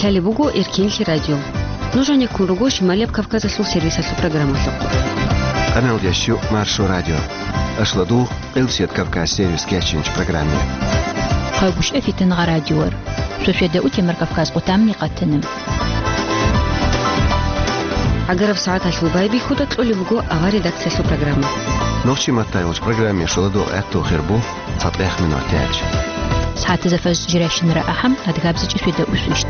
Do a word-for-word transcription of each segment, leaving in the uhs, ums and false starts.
Лъалеб буго Эркенлъи радио. Нуж гӀенеккун руго Шималияб Кавказалъул сервисалъул программалъухъ. Къаналдящу Маршо радио. Ашладу Къилсият Кавказ сервис кечинч программе. Хъагушев Фитнагъа радиор. Шошведа утемар Кавказ къутамни къатанам. ГӀагараб сагӀаталъул байбихьуда кьолеб буго авар редакциялъул программа. Нохчи маттайолч программе шоладо гӀатту хирбу. ЦатӀех минутач. СагӀатазда фажр жиращинара ахӀам, адгабзичӀи шведа усвищт.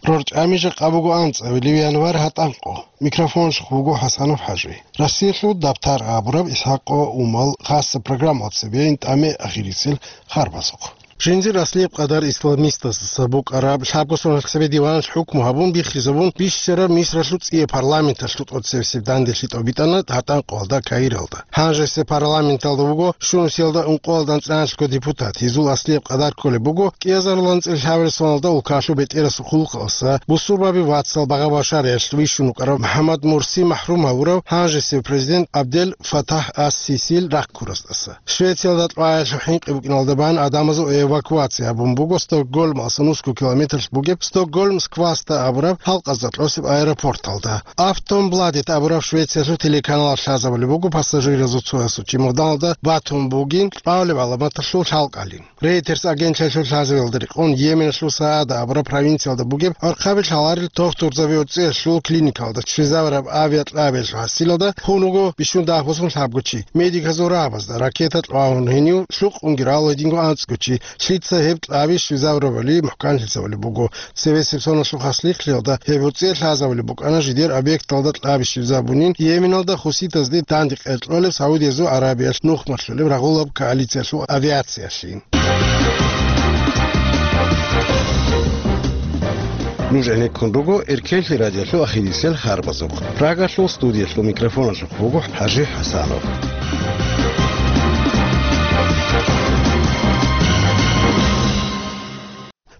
РорчӀами жакъа буго анцӀабилеб январь гьатӀанкъо. Микрофонщик вуго ХӀасанов ХӀажи. Россиялъул дабтар абураб ИсхӀакъо Умал хасса программалда цебейин тӀаме ахирисел харбазухъ. Жиндир аслияб къадар исламистаздаса букӀараб лъабго соналъ цебе диваналъ хӀукму гьабун биххизабун бищараб Мисралъул цӀияб парламенталъул тӀоцебесеб данделъи тӀобитӀана гьатӀанкъоялда Каиралда. Гьанжеса парламенталда вуго щунусиялда ункъоялда анцӀраналъго депутат. Гьезул аслияб къадар кколеб буго кӀиазаруланцӀил лъабабилеб соналда улкалъул бетӀерасул хъулухъалдаса бусурбаби вацал багъа-башариялъ вищун вукӀарав МухӀаммад Мурси махӀрум гьавурав гьанжесев президент Абдел Фатагь ас-Сисил рахъ ккураздаса. Швециялда кьваялъул хӀинкъи букӀиналда бан гӀадамазул эвакуация гьабун буго Стокгольмалдаса нусго километрлъ бугеб Стокгольм-Скваста абураб халкъазда кьосеб аэропорталда. Афтонбладет абураб Швециялъул телеканалалъ лъазабулеб буго пассажиразул цоясул чемоданалда батун бугин кьвалеб гӀаламаталъул лъалкӀалин. Рейтерс агентлъиялъул лъазабиялда рекъон Йеменалъул Саада абураб провинциялда бугеб гӀорхъаби лъаларел тохтурзаби гӀурцӀиялъул клиникалда щвезабураб авиакьабиялъул гьасилалда хун вуго бищун дагьаб босун лъабго чи. Медиказул рагӀабазда ракета кьвагьун гьенив лъукъунги рал гьединго анцӀго чи. Лъица гьеб кьаби щвезабурабали мухӀканлъи лъазабулеб буго. Цебесеб соналъул хасихълъиялда гьеб гӀурцӀиялъ лъазабулеб букӀана жидер объекталда кьаби щвезабунин Йеменалда хуситазде данде къеркьолеб Саудиязул Арабиялъ нухмалъулеб рагъулаб коалициялъул авиациялъин. Нуж гӀенеккун руго Эркенлъи радиолъул ахирисел харбазухъ. Прагалъул студиялъул микрофоналъухъ вуго ХӀажи ХӀасанов.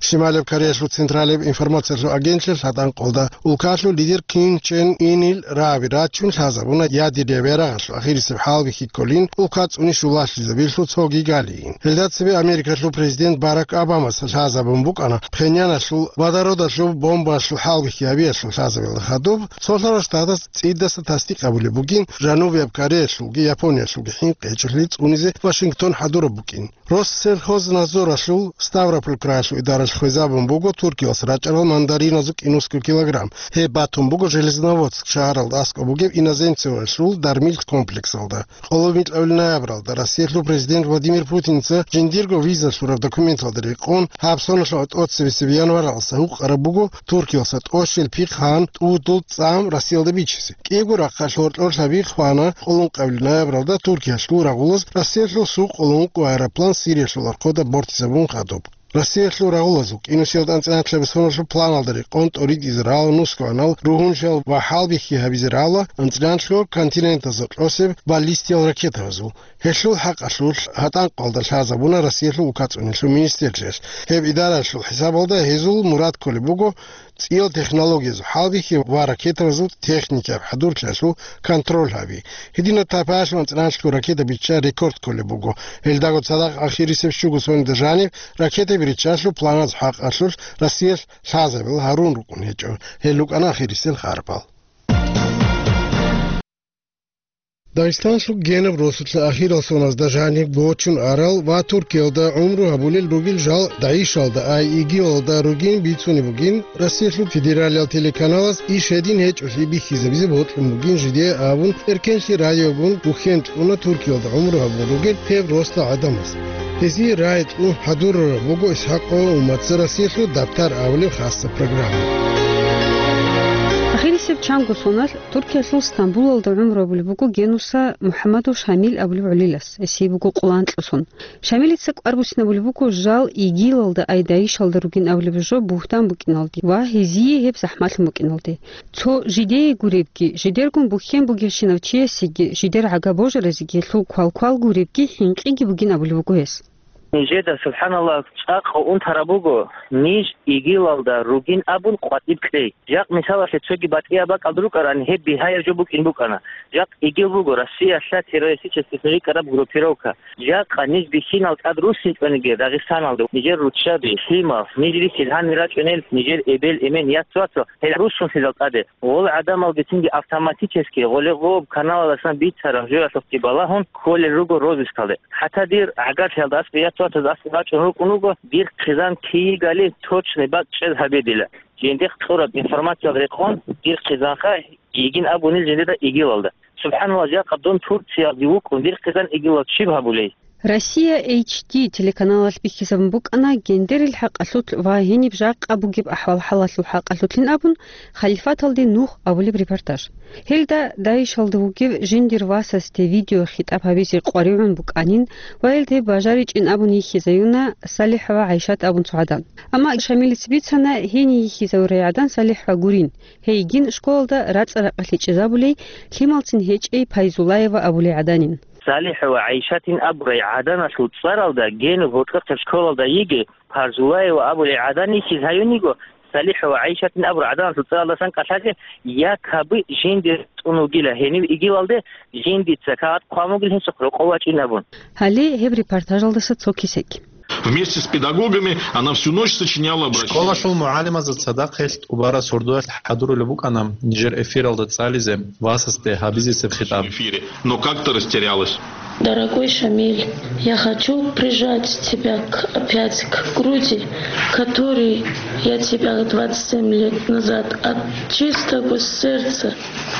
Шималаб Кореялъул Централаб информациялъул агентлъиялъ гьатӀанкъолда улкалъул лидер Ким Чен Инил раби рачун лъазабуна ядераб ярагъалъул ахирисеб хӀалбихьи кколин улка цӀуни щулалъизабилъул цоги галиин. Гьелда цебе Америкалъул президент Барак Обамас лъазабун букӀана Пхеньяналъул водородалъул бомбаялъул хӀалбихьи гьабиялъул лъазабиялда хадуб, цо лъала штатаз цӀидаса тасдикъ гьабулеб бугин Жанубияб Кореялъулги Япониялъулги хӀинкъи гьечӀолъи цӀунизе Вашингтон хӀадураб букӀин. Россельхознадзоралъул Ставрополь краялъул идаралъ хвезабун буго Туркиялъ рачӀарал мандариназул кӀинусго килограмм. Гьеб батун буго Железноводск шагьаралда аскӀоб бугеб иноземцевалъул дармил комплексалда. Къоло микьабил ноябралда Россиялъул президент Владимир Путинца жиндирго виза лъураб документалда рекъон гьаб соналъул тӀоцебесеб январалдаса гьукъараб буго Туркиялъа тӀощел пихъ гьан тӀудул цӀам Россиялда бичизе. КӀиябго рахъалъ гьоркьор лъаби хвана къоло ункъабил ноябралда Туркиялъул рагъулаз Россиялъул Су къоло ункъо аэроплан Сириялъул архъода бортизабун хадуб. Россиялъул рагъулазул кӀинусиялда анцӀила-анлъабилеб соналъул планалда рекъон тӀоритӀизе рала нусгоанал, ругьуншал ва хӀалбихьи гьабизе рала анцӀила-анлъго континентазда кьосеб баллистиял ракетабазул. Гьелъул хӀакъалъулъ гьатӀанкъалда лъазабуна Россиялъул улкацӀунелъул министрлъиялъ. Гьеб идаралъул хӀисабалда гьезул мурад кколеб буго цӀиял технологиязул хӀалбихьи ва ракетабазул техникияб хӀадурлъиялъул контроль гьаби. Гьединаб тайпаялъул анцӀила-анлъго ракета бичча рекорд кколеб буго. Гьелдаго цадахъ ахирисеб щуго соналда жаниб ракетаби риччалъул планаз хӀакъалъулъ Россиялъ лъазабила гьарун рукӀун гьечӀо. Гьел рукӀана ахирисел харпал. Дагъистанлъул генаб росулъа ахирал соназда жаниб гочун арал ва Туркиялда гӀумру гьабулел ругел жал ДАИШалда, ай ИГИЛалда ругин бицунеб бугин, Россиялъул федералиял телеканалаз иш гьедин гьечӀолъи бихьизабизе бокьун бугин жидее абун, Эркенлъи радиогун бухьен кьуна Туркиялда гӀумру гьабун ругел гьеб росда гӀадамаз. Гьезие рагӀи кьун хӀадурараб буго ИсхӀакъ Умаца Россиялъул дабтар абулеб хасса программа. Ахирисеб чанго соналъ Туркиялъул Стамбулалда гӀумру гьабулеб буго Генуса МухӀаммадов Шамил абулеб гӀолилас, гьесие буго къоло анкьго сон. Шамилица кӀвар буссинабулеб буго жал ИГИЛалда, ай ДАИШалда ругин абулеб жо бугьтан букӀиналде ва гьезие гьеб захӀмалъун букӀиналде. Цо жидее гуребги, жидергун бухьен бугевщинав чиясеги, жидер гӀага божаразеги гьелъул квалквал гуребги хӀинкъиги бугин абулеб буго гьес. Нижеда, субхӀаналлагь, цӀакъ унтараб буго, ниж игилалда ругин абун къватӀиб кьей. Жакъ мисалалъе цоги батӀияб бакӀалда рукӀарани, гьеб бигьаяб жо букӀин букӀана. Жакъ игил буго Россиялъа террористический рикӀкӀараб группировка. Жакъа ниж бихьинал тӀад руссинчӀониги Дагъистаналда, нижер руччаби, лъимал, ниж рихьил гьанир рачӀунел, нижер эбел-эмен, яц-вацал, гьел руссунлъизал тӀаде. Гъол гӀадамал бицинги автоматически гъоле-гъоб каналаласан бицараб жоялъухъги балагьун кколел руго розыскалде. ХӀатта дир гӀагарлъиялда аскӀов яц-вацаз аскӀов рачӀун рукӀун руго, дир хъизан кийигали точный бакӀ чӀез гьабе дила. Жиндихъ кьураб информациялда рекъон, дир хъизанха йигин абунил жиндида игилалда. СубхӀаналлагь, жакъа дун Турциялде вукӀун, дир хъизан игилал чиб гьабулей? Россия H D телеканалалъ бихьизабун букӀана гендерил хӀакъалъулъ ва гьениб жакъа бугеб ахӀвал-хӀалалъул хӀакъалъулъин абун, Халифаталде нух абулеб репортаж. Гьелда ДАИШалда вугев жиндир васасде видеохитӀаб гьабизе къваригӀун букӀанин ва гьелде бажаричӀин абун йихьизаюна СалихӀ ва ГӀайшат абун цо гӀадан. Амма Шамилица бицана, гьение йихьизавурай гӀадан СалихӀ ва гурин. Гьейгин школалда рацӀа-ракъалъе чӀезабулей, лъималцин гьечӀей Пайзулаева абулей гӀаданин. СалихӀ ва ГӀайшатин абурай гӀаданалъул цӀаралда генуб гьоркьохъеб школалда йиги, Парзулаева абулей гӀадан йихьиз гьаюн йиго, СалихӀ ва ГӀайшатин абурай гӀаданалъул цӀаралдасан кӀалъазе якобы жинди тӀун вугила гьенив игилалде, жиндица кагъат хъван вугил гьесухъ рокъов вачӀин абун. Гьале гьеб репортажалдаса цо кесек. Вместе с педагогами она всю ночь сочиняла обращение. Школалъул мугӀалимазда цадахъ гьелъ тӀубараб сордоялъ хӀадурулеб букӀана нижер эфиралда цӀализе васасде гьабизесеб хитӀаб. В эфире, но как-то растерялась. Дорогой Шамиль, я хочу прижать тебя к, опять к груди, которой я тебя двадцать семь лет назад от чистого сердца.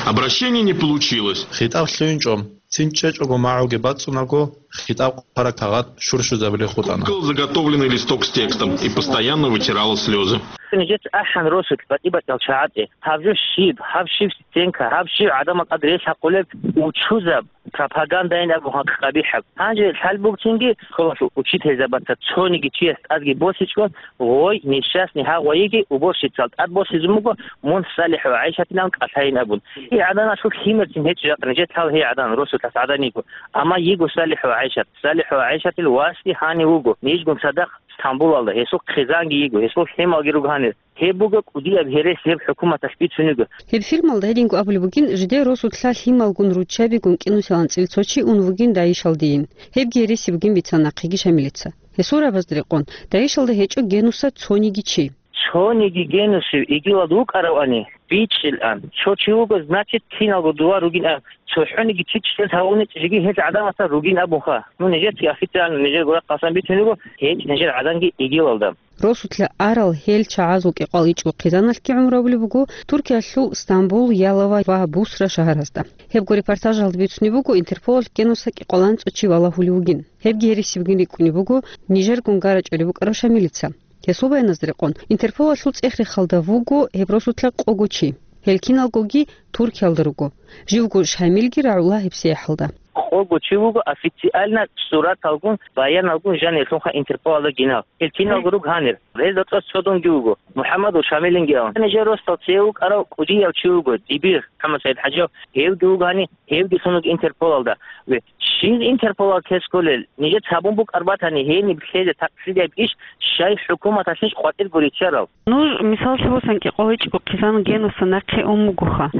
Обращение не получилось. ХитӀаб лъугьинчӀо. Цин чӀечӀого магӀуги бацӀцӀунаго, хитӀаб хъвараб кагъат щурщузабулей хутӀана. Кукол заготовленный листок с текстом и постоянно вытирала слезы. Нижеца ахӀан росулъ батӀи-батӀиял чагӀазе, гьаб жо щиб, гьаб щиб стенка, гьаб щиб гӀадамал тӀад релъахъулеб учузаб пропагандайин абун гьакъ къабихӀаб. Гьанже лъалбугцинги школалъул учительзабаца цониги чияс тӀадги босичӀо, гъой несчастный гьагъвайиги уборщицал тӀад босизун буго, мун СалихӀ ва ГӀайшатилан кӀалъайин абун. Гьей гӀаданалъул лъимерцин гьечӀо жакъа нижер лъал гьей гӀадан росулъас гӀадан йиго. Амма йиго СалихӀ ва ГӀайшат. СалихӀ ва ГӀайшатил васги гьанив вуго. Нижгун цадахъ Стамбулалда, гьесул хъизанги йиго, гьесул лъималги руго гьанир. Гьеб буго кӀудияб гьерес гьеб хӀукуматалъ бицун йиго. Гьеб фильмалда гьединго абулеб бугин, жидер росулъа лъималгун руччабигун кӀинусел анцӀил цо чи ун вугин ДАИШалдейин. Гьебги гьереси бугин бицана нахъеги Шамилица. Гьесул рагӀабазда рекъон, ДАИШалда гьечӀо генуса цониги чи. Цониги генусив игилалда вукӀаравани, бичӀчӀилан. Цо чи вуго, значит, киналго дова ругин аб. ЦохӀониги чи чӀез гьавуни жиги гьел гӀадамасда ругин абунха. Ну, нижецаги официально нижер гурахъ хъасан бицун йиго, гьечӀ нижер гӀаданги игилалда. Росулъа арал гьел чагӀазул кӀикъоялда ичӀго хъизаналъги гӀумру гьабулеб буго Туркиялъул Стамбул, Ялова ва Бусра шагьаразда. Гьебго репортажалда бицунеб буго, Интерполалъ генуса кӀикъоялда анцӀго чи валагьулев вугин. Гьебги гьереси бугин рикӀкӀунеб буго нижергун гарачӀулеб букӀарав Шамилица. Гьесул баяназда рекъон, Интерполалъул цӀех-рехалда вуго гьеб росулъа къого чи. Гьел киналгоги Туркиялда руго. Живго Шамилги рагӀула гьебсагӀаталда. Къого чи вуго официально сураталгун, баяналгун жанирлъунха Интерполалда гинал. Гьел киналго руго гьанир. Гьезда цӀоз цо дунги вуго, МухӀаммадул Шамилинги абун. Нижер росдал цеве вукӀарав кӀудияв чи вуго, Дибир МухӀаммад СагӀид ХӀажиев, гьевги вуго гьани, гьевги лъун вуго Интерполалда. Ве, щиб Интерполалда кколел, нижеца гьабун букӀар батани, гьениб лъезе такъсидияб иш, щай хӀукуматалъищ къватӀирго риччарал? Нуж, мисаллъи босани, кӀикъоялда ичӀго хъизан генуса нахъе ун бугоха.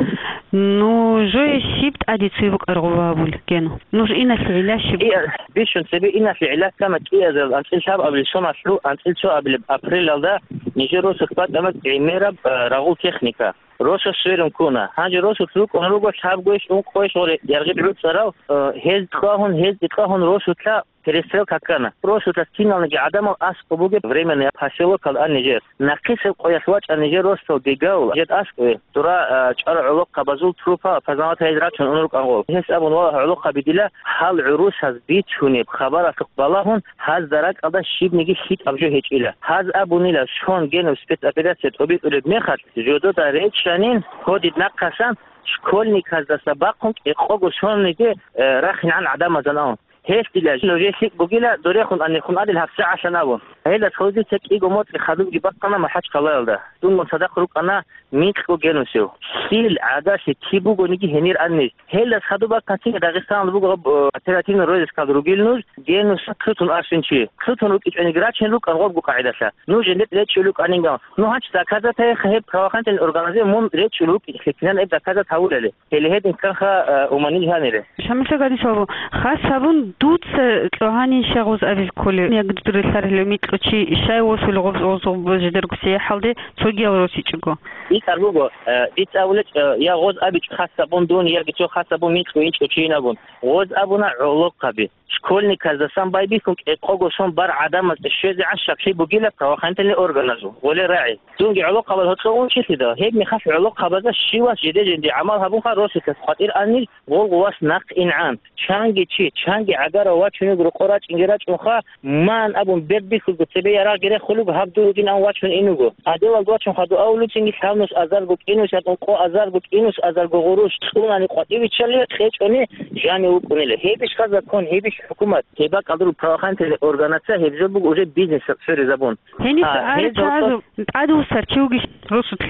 Нужее щиб тӀаде цеве букӀараб гъоб гьабулеб гену? Нуж иналъе гӀилла щиб? КӀиа-, бищун цебе иналъе гӀилла ккана кӀиазарил анцӀил лъабабилеб соналъул анцӀил цоабилеб апрелалда нижер росулъ бачӀана гӀемераб, а, рагъул техника. Росас сверун ккуна. Гьанже росулъ рукӀун руго лъабгойищ ункъойищ гъоре, яргъиб гӀуцӀарал, э, гьез кьвагьун, гьез кьвагьун росулъа перестрелка ккана. Росулъа киналниги гӀадамал аскӀоб бугеб временный поселокалда ан нижер. Нахъисеб къоялъ вачӀа нижер росдал Гегау, жед аскӀове, дура, э, чӀвар гӀолохъабазул трупа опознавать гьайзе рачун ун рукӀан гъол. Гьес абун, валагь, гӀолохъаби дила, гьал гӀурусаз бицунеб хабаралъухъ балагьун, гьазда ракӀалда щибниги лъикӀаб жо гьечӀила. Гьаз абунила, сон генуб спецоперация тӀобитӀулеб мехалъ, жодода речӀчӀанин, кодид нахъасан, школьниказдаса бахъун кӀикъого сонниги, э, рахинегӀан гӀадамазан абун. Гьелъ дила, нужее лъикӀ бугила, дорехун анехун адил гьабсагӀалъан абун. Гьелдас хадуб дица кӀиго моцӀи хадубги бахъана МахӀачхъалаялда. Дунгун цадахъ рукӀана микьго генусев. Лъил гӀадалъи киб бугониги гьенир аннищ. Гьелдас хадуб бахъанцин Дагъистаналда буго гьаб, э, оперативный розыскалда ругел нуж, генуса лъутун арсин чи. Лъутун рукӀичӀониги рачун рукӀан гъобго къагӀидалъа. Нуж жиндир речӀчӀулев вукӀанингал. Ну, гьанчи доказатайха гьеб правоохранительный органазе мун речӀчӀулев вукӀинчӀлъи кинан гьеб доказат гьавулали. Гьеле гьедин кканха, э, уманил гьанире. Шамилъа Гадисовабу, хас гьабун, дуца кьогьанин щай гъоз абизе кколев, яги дур релълъарилев микьго чи щай восулев гъоз, гъоз, гъоз жидерго сияхӀалде цогиял росичӀого? БитӀар буго, э, дица абулеб, э, я гъоз абичӀо хас гьабун дун, яги цо хас гьабун микьго инчӀо чийин абун. Гъоз абуна гӀолохъаби. Школьниказдасан байбихьун кӀикъого сон бар гӀадамазда щвезегӀан щаклъи бугила правоохранительный органазул, гъоле рагӀи. Дунги гӀолохъабаз гьоркьов унчилъидал, гьеб мехалъ гӀолохъабазда щивас жиде-жинди гӀамал гьабунха росулъас къватӀир анил, гъолго вас нахъ ингӀан. Чанги чи, чанги гӀагарав вачуниг рокъо рачӀинги рачӀунха, ман абун бердихьулго цебе ярагъги рехулуго гьаб дур ругин ан вачун инуго. Гьадинал вачун хадув авулуцинги лъабнус азарго кӀинус ятӀун къо азарго кӀинус азарго гъурущ цӀунани къватӀивиччали кьечӀони жани вукӀунила. Гьебищха закон, гьебищ хӀукумат? Гьеб бакӀалда руго правоохранительный органаца, гьеб жо буго уже бизнес цӀоризабун. Гьениса А, гьел арачагӀазу тӀадвуссар чи вугищ росулъ?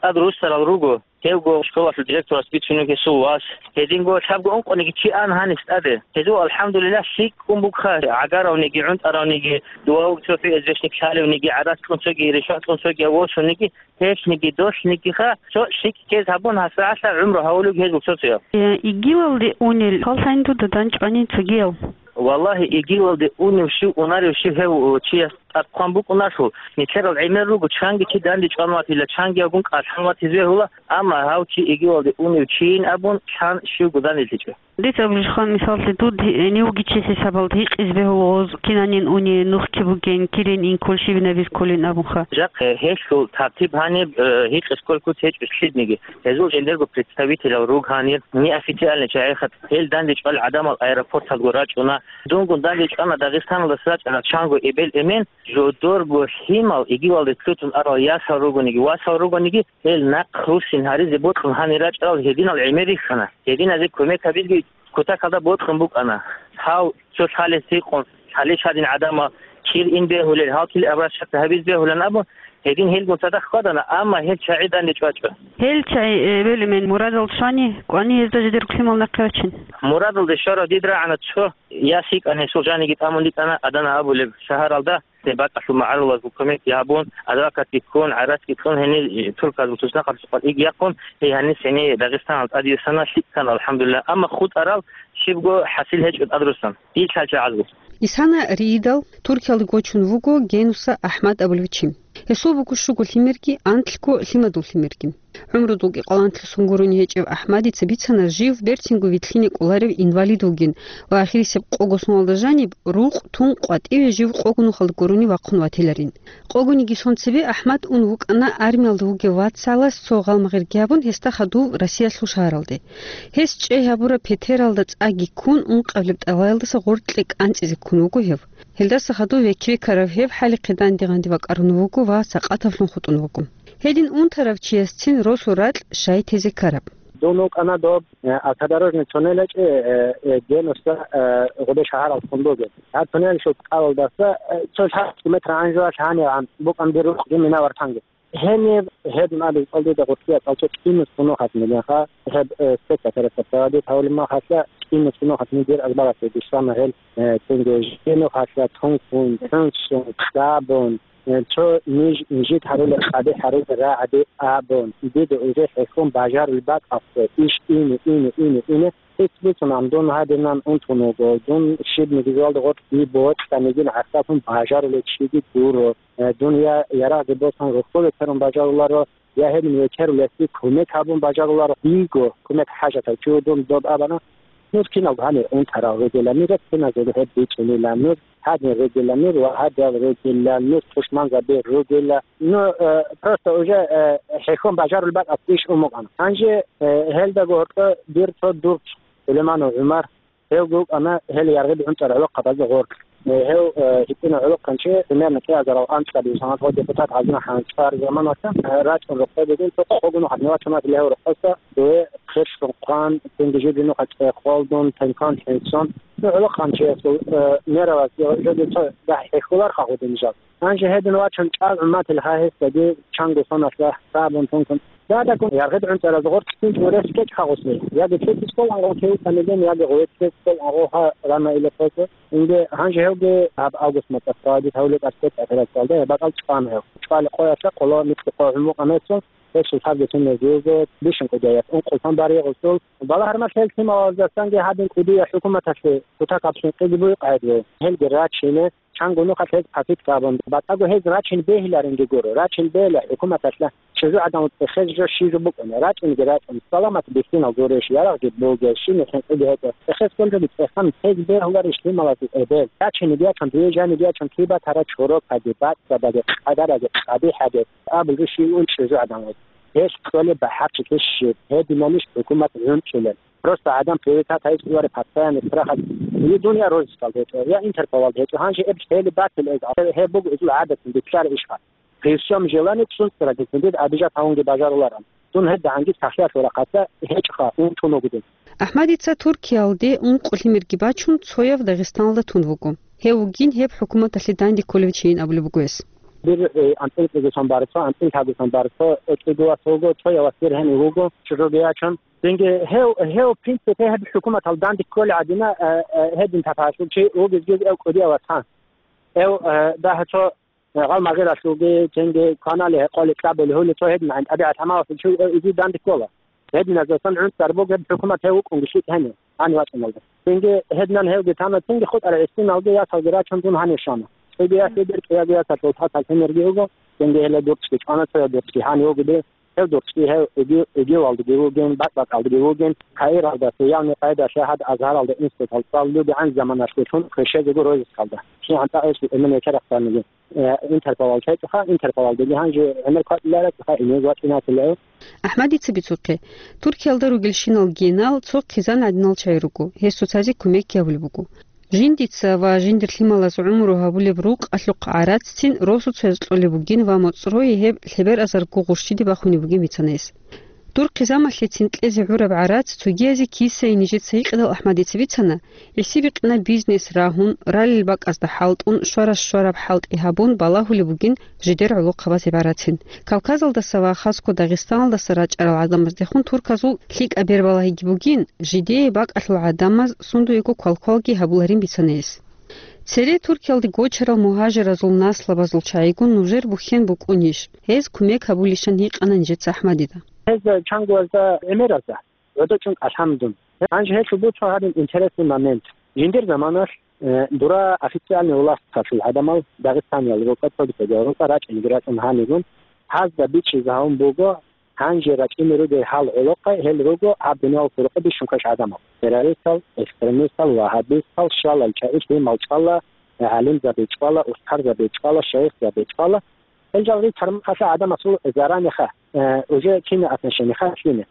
ТӀад руссарал руго. Гьевго школалъул директорас бицунев гьесул вас. Гьединго лъабго ункъониги чи ан гьанис тӀаде. Гьезул, алхӀамдулиллагь, лъикӀ ккун бугха, гӀагаравниги, гӀунтӀаравниги, дова вугев цо хӀи эзбешник лъалевниги, гӀарац кьун цоги, ришват кьун цоги, восуниги, гьелъниги, долънигиха, цо лъикӀ ккез гьабун, гьасагӀалъа гӀумру гьавулев гьезул цо-цояв. Э, игивалде унел хъаллъани дуда данчӀвани цогиял? Валлагьи, игивалде унев щив, унарев щив гьев, о, чияс тӀад хъван букӀуналъул, нилъерал гӀемер руго, чанги чи данде чӀван ватила, чанги авгун кӀалъан ватизе гьула, амма гьав чи игивалде унев чийин абун, лъан щивго данделъичӀо. Дица абулищха, мисаллъи, дуд гьенивги чи хӀисабалда гьикъизе бегьула гъоз, кинанин уни, нухги бугин, кирин ин ккол, щибин абиз кколин абунха. Жакъа гьелъул тартиб гьаниб, э, гьикъиз кколкут гьечӀо лъидниги. Гьезул жиндирго представителал руг гьанир, неофициальный чагӀиха, гьел данде чӀвал гӀадамал аэропорталго рачӀуна. Дунгун данде чӀвана Дагъистаналдаса рачӀарал чанго эбел-эмен, жодорго лъимал, игивалде лъутун арал ясал ругониги, васал ругониги, гьел нахъ руссин гьаризе бокьун гьанир рачӀарал гьединал гӀемер рихьана. Гьединазе кумек гьабизги кутакалда бокьун букӀана. Гьав цо лъалес гьикъун, лъалищ гьадин гӀадамал кир ин бегьулел, гьал кил обращаться гьабиз бегьулан абун, гьедин гьелгун цадахъ хьвадана, амма гьел чагӀи данде чӀвачӀо. Гьел чагӀи, э, эбел-эмен мурадал щвани, кӀвани гьезда жидер куцлъимал нахъе рачун. Мурадалде щварав дид рагӀана цо, яс йикӀан гьесул жаниги тӀамун йикӀана Адана абулеб шагьаралда, гьеб бакӀалъул магӀарулазул кумекги гьабун, адвокатги ккун, гӀарацги кьун гьенир, э, турказул туснахъалъулъ иги яхъун, гьей гьанис гьенир Дагъистаналда тӀадвуссана, лъикӀ ккана, алхӀамдулиллагь, амма хутӀарал щибго хӀасил гьечӀо тӀад руссун. Дир лъалчагӀазул. Исана Риидал Туркиялде гочун вуго Генуса АхӀмад абулев чи. Гьесул буго щуго лъимерги, анлъго лъимадул лъимерги. ГӀумрудулги къаланлъи сон гурони гьечӀев АхӀмадица бицана жив берцинго вилълъине кӀоларев инвалид вугин ва ахирисеб къого соналда жаниб рукъ тун къватӀиве жив къого нухалда гурони вахъун ватиларин. Къогониги сон цебе АхӀмад ун вукӀана армиялда вугев вацалас цо гъалмагъирги гьабун, гьесда хадув Россиялъул шагьаралде. Гьес чӀей гьабураб петералда цӀаги ккун, ункъабилеб тӀалаялдаса гъоркье кӀанцӀизе ккун вуго гьев. Гьелдаса хадув векерикарав гьев хӀалихъе данде-гъанде вакӀарун вуго ва сакъатаблъун хутӀун вуго. Гьедин унтарав чиясцин росу ракь щай тезе ккараб? Дун вукӀана доб, э, автодорожный туннелачӀе, э, э, Генуса, э, гъубе шагьаралхун бугеб. Гьаб туннелалъул кӀалалдаса, э, цо лъабцӀи метр гӀанжуялъ гьанивгӀан букӀан дир рукъги мина вартанги. Гьениб гьедин абил кӀалдида гъуркьиялъ цо кӀинус гьунухъалъ милинха, гьеб, э, спецоперация проводить гьавулеб махалъа, кӀинус гьунухъалъ мидир азбаралъе бищана гьел, э, цинги жинухъалъа тункун, хӀунсун, кьабун, э, цо ниж инжит гьарулел къаде гьарулел рагӀаби абун, дида уже хӀехьун бажарулеб бакӀалъе иш ине, ине, ине, ине, ХӀинцӀ бицун ам дун гьадинан унтун вуго, дун щибниги жоялда гъоркь би бокьанигин гӀахьаллъун бажарулев чиги гуро. Э, дун я ярагъги босун рухӀуле терун бажаруларо, я гьедин векерулесги кумек гьабун бажаруларо. Диего кумек хӀажатав чи вугин доб абана. Нуж киналго гьанир унтарал ругела, нижер киназего гьеб бицунила, нуж гьадин ругела, нуж ва гьадиял ругела, нуж тушманзаби ругела. Ну, э, просто уже, э, хӀехьон бажарулеб бакӀалъ иш умукъана. Гьанже, э, гьелдаго гьоркьо дир цо дурч Сулейманов ГӀумар, гьев вукӀана гьел яргъиб гӀунтӀарал гӀолохъабазда гъоркь. Э, гьев, э, гьитӀинав гӀолохъанчи, примерно кӀиазарал анцӀабилеб саналъ депутат гьавуна хӀанчӀвар заман вачан, э, рачӀун рокъой бугин, цо къогунухъ гьадин вачун ватила гьев рокъоса, дуе хъирщун хъван, цинги жибинухъа цӀехолдун, тенкан хӀинцун. Ну, гӀолохъанчиясул, э, мераваз, э, жодин цо дагь хӀехьуларха гъудин жал. Гьанже гьедин вачун чӀал гӀумматил гьа гьесдаги чанго соналъа сабун тункун. Дадаккун яргъид гӀунтӀараз гъоркьлъин чӀурес кӀечӀ хагъуслъи. Яги цеци скол ангъо кевканилин, яги гъветлъи скол ангъо гьа рана иле хосо. Инде гьанже гьевги гьаб август мацӀалъ гьавлет аскет ахират цалда я бакӀал чӀван гьев. ЧӀвали къоялъа къоло микьи къо гӀумру къанайцун, гьесул лъабги тунезиего бищун кӀудияс ункъултан баригъусул. Балагьармалъ гьел лъималаздасанги гьадин кӀудия хӀукуматалъе кутакаб хӀинкъиги буй къайдгу. Гьелги рачине, чанго нухалъ гьез пасиккабун, батӀаго гьез рачин бегьиларинги гуро, рачин бегьила хӀукуматалъа чӀужугӀадан цӀехез жо щижу букӀуна, рачӀинги рачӀун, саламат бихьинал гурищ, ярагъги бугеш, щиб хӀинкъиги гьечӀо, цӀехез кколчоги цӀехан гьез бегьуларищ лъималазе эбел, рачинги ячун, дуе жаниги ячун, кибатара чорокаги, бацӀцӀадаги, къадараги, къабихӀаги, абулги щивун чӀужугӀадан вуго. Гьелъ кколеб бахӀарчилъи щиб, гьединанищ хӀукумат гӀунчӀулеб? Просто гӀадан приоритет гьайс кӀоларе постоянный страхалъ. Е дун я розыскалда гьечӀо, я Интерполалда гьечӀо. Гьанже эб хӀели батил эз, гьеб буго эзул гӀадатин битлъар ишха. При всем желании цун цӀрагилъун дид обижать гьавунги бажаруларан. Дун гьеб дагьанги сахлъиялъул рахъалъа гьечӀха, унтун вугидин. АхӀмадица Туркиялде ункъо лъимерги бачун, цояв Дагъистаналда тун вуго. Гьев вугин гьеб хӀукуматалъе данде кколев чийин абулеб буго гьес. Дир, э, анцӀил кӀигосан барцо, анцӀил лъагосан барцо, э, кӀиго вас вуго, цояв вас дир гьенив вуго, чӀужуги ячун. Динги гьев, гьев, в принципе, гьеб хӀукуматал данде кколей гӀадина, э, э, гьедин тапагьалъул чи вугезги гьев кӀудияв вас гьан. Гьев, э, дагьа цо, э, гъал магъиралъулги, цинги кванали гьекъоли кьабули гьули цо гьедин гӀин тӀабигӀат гьамалалъул чи, э, иги данде ккола. Гьединазасан гӀунтӀар бугеб хӀукумат гьев вукӀунги лъикӀ гьенив, гьанив вачӀиналда. Цинги гьединан гьевги тана, цинги хутӀарай гӀисиналги ясалги рачун дун гьанив щвана. ЦӀиги ясги дир кӀиябго ясалъул тӀасал лъимерги вуго, цинги гьеле дурцги чӀвана, цояв дурцги гьанив вугоди, гьев дурцги гьев иги-, игивалдаги вугин, бакӀ-бакӀалдаги вугин, Каиралда, явни къайдалъа гьад Азгьаралда институтал цӀалулебгӀан заманалъулъун квешезего розыскалда. КигӀан тӀагӀишлъи эмен гьечарахъаниги, э, Интерполал чайчӀоха, Интерполалдаги гьанже гӀемер кватӀиларачӀоха, ине вачӀинатила. АхӀмадица бицухъе, Туркиялда ругелщинал генал цо хъизан гӀадинал чагӀи руго, гьес цоцазе кумекги гьабулеб буго. Жиндица ва жиндир лъималаз гӀумру гьабулеб рукъалъухъ гӀараццин росуцояз кьолеб бугин ва моцӀрое гьеб лъеберабазарго гъурщиде бахунеб бугин бицана гьес. Дур хъизамалъецин кьезе гӀураб гӀарац цогиязе кисае нижеца гьикъидал АхӀмадица бицана, гӀисибикъина бизнес рагьун, ралел бакӀазда хӀалтӀун, щварас щвараб хӀалтӀи гьабун балагьулеб бугин жидер гӀолохъабаз гӀибарацин. Кавказалдаса ва хасго Дагъистаналдаса рачӀарал гӀадамаздехун турказул лъикӀаб бербалагьиги бугин, жидее бакӀалъул гӀадамаз сундуего квалквалги гьабуларин бицана гьес. Цере Туркиялде гочарал мугьажиразул наслабазул чагӀигун нужер бухьен букӀунищ? Гьез кумек гьабулищан гьикъана нижеца АхӀмадида. Гьез чангоязда гӀемеразда гӀодочӀун кӀалъан дун. Гьанже гьелъул буцун гьадин интересный момент. Жиндир заманалъ, э, дура официальный власталъул гӀадамал Дагъистаниял рукӀа, цогидаб рукӀа рачӀинги рачӀун гьанигун, гьазда бичӀчӀизе гьавун буго, гьанже рачӀине ругел гьал гӀолохъе, гьел руго гьаб дуниялалъул рукъа бищун квеш гӀадамал. Террористал, экстремистал, вагьабистал, щвалал чагӀи лъимал чӀвала, гӀалимзаби чӀвала, устарзаби чӀвала, шайихзаби чӀвала. Гьел жал рицармахъалъа гӀадамасул заранеха, э, уже кина отношениеха лъине.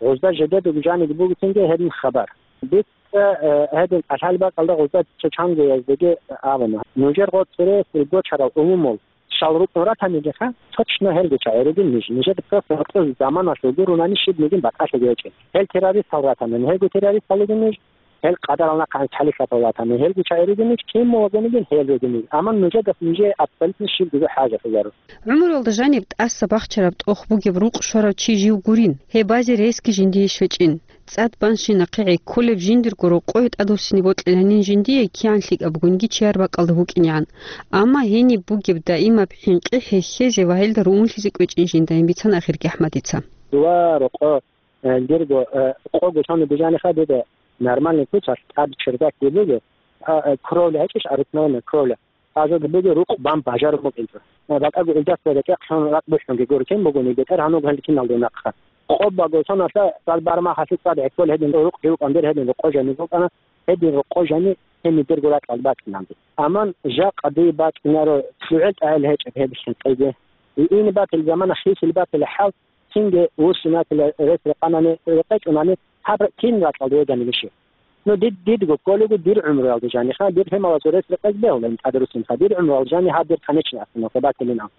Гъузда жидедаго жаниги бугитинги гьедин хабар. Дица, э, гьедин кӀалъал бакӀалда гъузда дица чангояздаги абуна. Нужер гъоцӀи ресил гочарал умумул щал рукӀун ратанилиха, точно гьелги чагӀи ругин ниж. Нижеда просто гьоркьор заманалъул гурунани щиб нигин батӀалъиги гьечӀин. Гьел террористал ратанани, гьелго террористал ругин ниж. Гьел къадарал нахъа гьанже хӀалихьатал ратани, гьелги чагӀи ругин ниж, кин мугьазениги гьел ругин ниж. Амма нужеда нижее абсолютно щиб буго хӀажат гьезару. ГӀумруялда жаниб тӀаса бахчараб тӀох бугеб рукъ щварав чи жив гурин, гьеб базе ресги жиндие щвечӀин. ЦӀад банщи нахъе гӀекколеб жиндирго рокъое тӀадвуссине бокьиланин жиндие кигӀан лъикӀаб бугониги чияр бакӀалда вукӀинегӀан. Амма гьениб бугеб даимаб хӀинкъи хӀехьезе ва гьелда руунлъизе кӀвечӀин жиндайин бицана ахирги АхӀмадица. Дова рокъо, э, дирго, э, къого сони бижаниха дида нормальный куцалъ тӀад чердак буго, а, э, кровля гьечӀищ, обыкновенная кровля. Азарго буго рукъ бан бажарун букӀинчӀо. Э, батӀаго илдас берекъехъ лъун ракӀ бухӀунги гуркин бугони, бетӀер гьануго гьел киналда нахъа. Къо баго соналъа цӀад бармахалъе цӀад гӀеккол гьедин рукъ живкъан дир гьедин рокъо жани букӀана, гьедин рокъо жани гьениб дирго ракьалда бачӀинанги. Аман жакъа дие бачӀинаро лъугӀел тӀагӀел гьечӀеб гьеб хӀинкъиги. Ине батил замана хисил батил хӀал, цинги вуссинатила рес рекъанани, рекъечӀунани гьаб кин ракьалда вегани вищи. Ну, дид-, дидго кколего дир гӀумруялда жаниха, дир гьемалазул рес-рекъезе бегьулин тӀадруссинха, дир гӀумруялда жани гьаб дир конечный остановка батилин аб.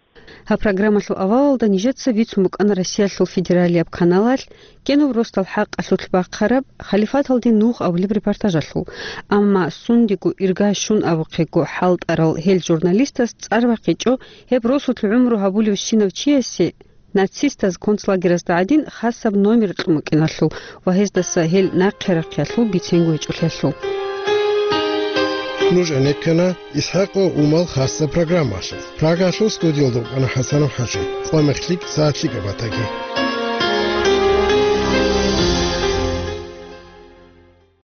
Гьаб программалъул авалалда нижеца бицун букӀана Россиялъул федералияб каналалъ кӀиябго росдал хӀакъалъулъ бахъараб «Халифаталде нух» абулеб репортажалъул. Амма сундего ирга щун абухъего хӀалтӀарал гьел журналистас цӀар бахъичӀо гьеб росулъ гӀумру гьабулевщинав чиясе нацистаз концлагеразда гӀадин хасаб номер кьун букӀиналъул ва гьездаса гьел нахъе рахъиялъул бицен гьечӀолъиялъул. Нуж гӀенеккана ИсхӀакъ ва Умал хасаб программалъулъ. Прагалъул студиялда вукӀана ХӀасанов ХӀажи. Къо мехлъи, сагӀат лъикӀаб батаги.